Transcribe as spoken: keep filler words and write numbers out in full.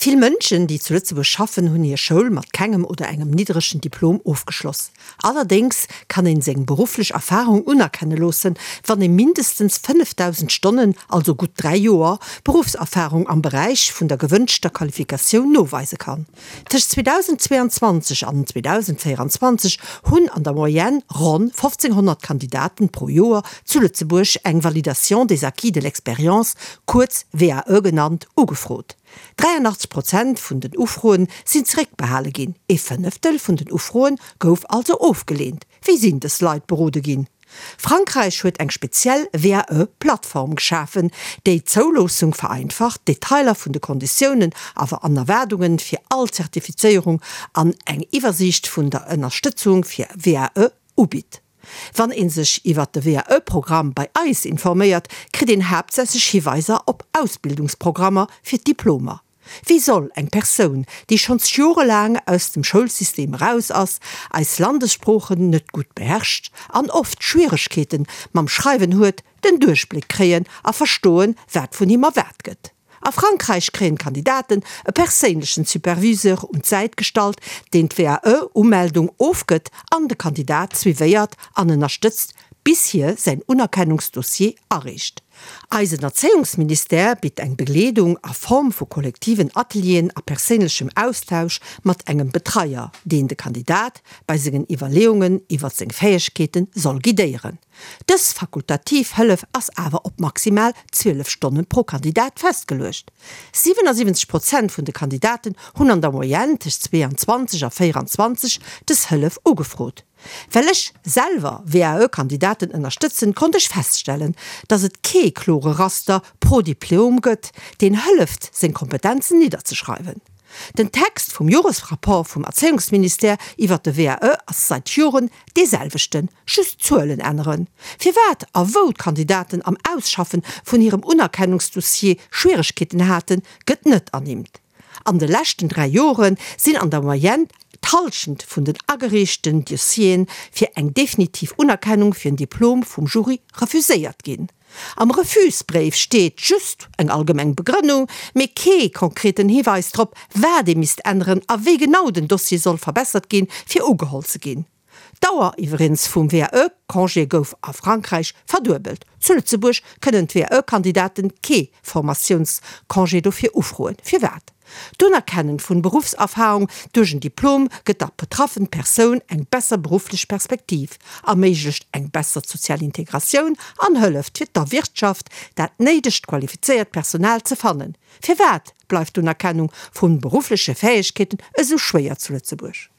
Vill Mënschen, déi zu Lëtzebuerg schaffen, hunn hir Schoul mat kengem oder engem niddregen Diplom ofgeschloss. Allerdéngs kann een seng berufflech Erfarung unerkenne loossen, wann ee mindestens fënnefdausend Stonnen, also gutt dräi Joer, Beruffserfarung am Beräich vun der gewënschter Qualifikatioun noweise kann. Tëscht zweedausendzweeanzwanzeg an zweedausendvéieranzwanzeg hunn an der Moyenne ronn fofzénghonnert Kandidaten pro Joer zu Lëtzebuerg eng Validation des acquis de l'expérience, kuerz V A E genannt, ugefrot. dräianachtzeg Prozent vun den Ufroen sinn zeréckbehale ginn, ee Fënneftel vun den Ufroen gouf also ofgeleent. Wéi sinn dës Leit berode ginn? Frankräich huet eng speziell V A E-Plattform geschafen, déi d'Zouloossung vereinfacht, d'Detailer vun de Konditiounen awer an Erwaardunge fir all Zertifizéierung an eng Iwwersiicht vun der Ënnerstëtzung fir V A E ubitt. Wann ee sech iwwert de V A E-Programm bei eis informéiert, kritt een haaptsächlech Hiweiser op Ausbildungsprogrammer fir d'Diplomer. Wéi soll eng Persoun, déi schonns jorelaang aus dem Schoulsystem eraus ass, eis Landessproochen net gutt beherrscht an oft Schwieregkeete mam Schreiwen huet, den Duerchbléck kréien a verstoen, wat vun him erwaart gëtt? A Frankräich kréien d'Kandidaten e perséinlechen Superviseur un d'Säit gestallt, deen d'V A E-Umeldung ofgëtt an de Kandidat suivéiert an ënnerstëtzt, bis hie säin Unerkennungsdossier areecht. Eisen Erzéiungsministère bitt eng Begleedung a Form vu kollektiven Atelieren a perséinlechem Austausch mat engem Betreier, deen de Kandidat bei sengen Iwwerleeungen iwwer seng Fäegkeete soll guidéieren. Dës fakultativ Hëllef ass awer op maximal zwielef Stonne pro Kandidat festgeluecht. siwenasiwwenzeg Prozent vun de Kandidaten hunn an der Moyenne tëscht zweeanzwanzeg a véieranzwanzeg dës Hëllef ugefrot. Well ech selwer V A E-Kandidaten ënnerstëtzen, konnt ech feststellen, dass et kee klore Raster pro Diplom gëtt, deen hëlleft, seng Kompetenzen nidderzeschreiwen. Den Text vum Joresrapport vum Erzéiungsministère iwwer de V A E ass säit Joren dee selwechten, just d'Zuelen änneren. Firwat a wou d'Kandidaten am Ausschaffen vun hirem Unerkennungsdossier Schwieregkeeten haten, gëtt net ernimmt. An de leschten dräi Jore sinn an der Moyenne d'Hallschent vun den agereechten Dossiere fir eng definitiv Unerkennung fir en Diplom vum Jury refuséiert ginn. Am Refusbréif steet just eng allgemeng Begrënnung, mee kee konkreten Hiweis drop, wat ee misst änneren a wéi genau den Dossier soll verbessert ginn, fir ugeholl ze ginn. D'Dauer iwweregens vum V A E-Congé gouf a Frankräich verduebelt. Zu Lëtzebuerg kënnen d'V A E-Kandidaten kee Formatiounscongé dofir ufroen. Firwat? D'Unerkennen vun Beruffserfarung duerch en Diplom gëtt der betraffener Persoun eng besser berufflech Perspektiv, erméiglecht eng besser sozial Integratioun an hëlleft fir der Wirtschaft, dat néidegt qualifizéiert Personal ze fannen. Firwat bleift d'Unerkennung vu beruffleche Fäegkeeten esou schwéier zu Lëtzebuerg?